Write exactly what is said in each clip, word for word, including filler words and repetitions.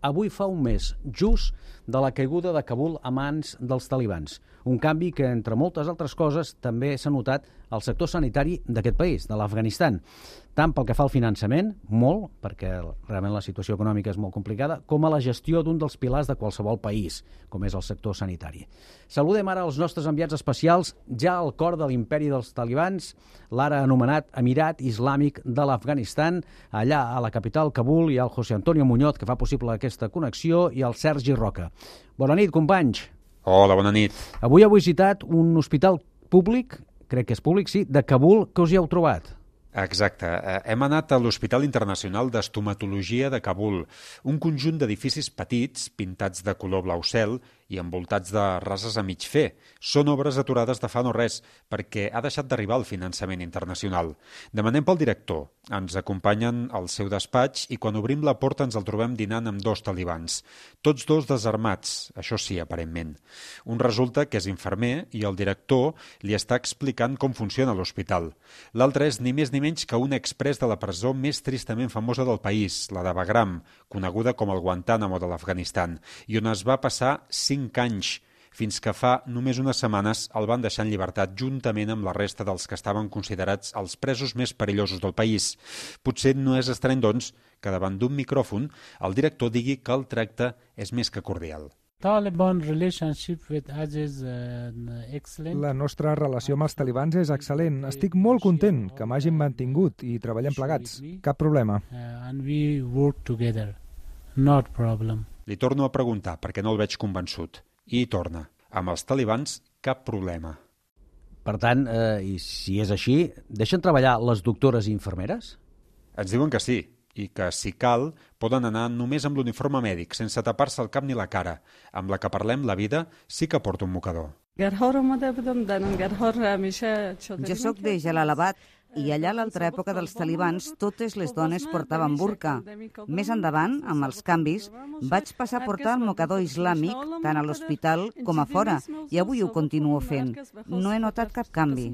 avui fa un mes, just de la caiguda de Kabul a mans dels talibans. Un canvi que, entre moltes altres coses, també s'ha notat al sector sanitari d'aquest país, de l'Afganistan. Tant pel que fa al finançament, molt, perquè realment la situació econòmica és molt complicada, com a la gestió d'un dels pilars de qualsevol país, com és el sector sanitari. Saludem ara els nostres enviats especials, ja al cor de l'imperi dels talibans, l'ara anomenat Emirat Islàmic de l'Afganistan. Allà, a la capital, Kabul, hi ha el José Antonio Muñoz, que fa possible aquesta connexió, i el Sergi Roca. Bona nit, companys. Hola, bona nit. Avui heu visitat un hospital públic, crec que és públic, sí, de Kabul. Què us hi heu trobat? Exacte. Hem anat a l'Hospital Internacional d'Estomatologia de Kabul, un conjunt d'edificis petits, pintats de color blau cel i envoltats de rases a mig fer. Són obres aturades de fa no res, perquè ha deixat d'arribar el finançament internacional. Demanem pel director. Ens acompanyen al seu despatx i quan obrim la porta ens el trobem dinant amb dos talibans. Tots dos desarmats, això sí, aparentment. Un resulta que és infermer i el director li està explicant com funciona l'hospital. L'altre és ni més ni menys que un exprés de la presó més tristament famosa del país, la de Bagram, coneguda com el Guantánamo de l'Afganistan, i on es va passar cinc anys, fins que fa només unes setmanes el van deixar en llibertat juntament amb la resta dels que estaven considerats els presos més perillosos del país. Potser no és estrany, doncs, que davant d'un micròfon el director digui que el tracte és més que cordial. La nostra relació amb els talibans és excel·lent. Estic molt content que m'hagin mantingut i treballem plegats. Cap problema. Li torno a preguntar perquè no el veig convençut. I torna. Amb els talibans, cap problema. Per tant, eh, i si és així, deixen treballar les doctores i infermeres? Ens diuen que sí, i que, si cal, poden anar només amb l'uniforme mèdic, sense tapar-se el cap ni la cara. Amb la que parlem, la vida, sí que porta un mocador. Jo sóc de Jalalabad i allà a l'altra època dels talibans totes les dones portaven burca. Més endavant, amb els canvis, vaig passar a portar el mocador islàmic tant a l'hospital com a fora i avui ho continuo fent. No he notat cap canvi.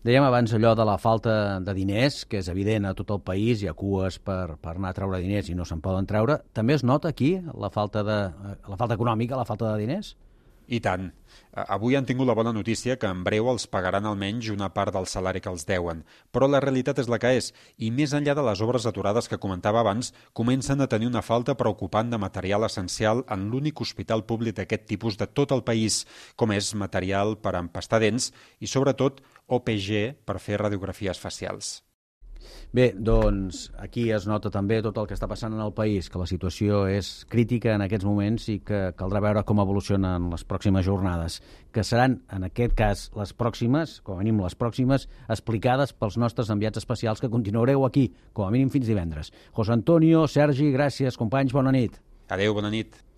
Dèiem abans allò de la falta de diners, que és evident a tot el país, hi ha cues per, per anar a treure diners i no se'n poden treure. També es nota aquí la falta, de, la falta econòmica, la falta de diners? I tant. Avui han tingut la bona notícia que en breu els pagaran almenys una part del salari que els deuen. Però la realitat és la que és, i més enllà de les obres aturades que comentava abans, comencen a tenir una falta preocupant de material essencial en l'únic hospital públic d'aquest tipus de tot el país, com és material per empastar dents i, sobretot, O P G per fer radiografies facials. Bé, doncs aquí es nota també tot el que està passant en el país, que la situació és crítica en aquests moments i que caldrà veure com evolucionen les pròximes jornades, que seran, en aquest cas, les pròximes, com a mínim les pròximes, explicades pels nostres enviats especials que continuareu aquí, com a mínim fins divendres. José Antonio, Sergi, gràcies, companys, bona nit. Adéu, bona nit.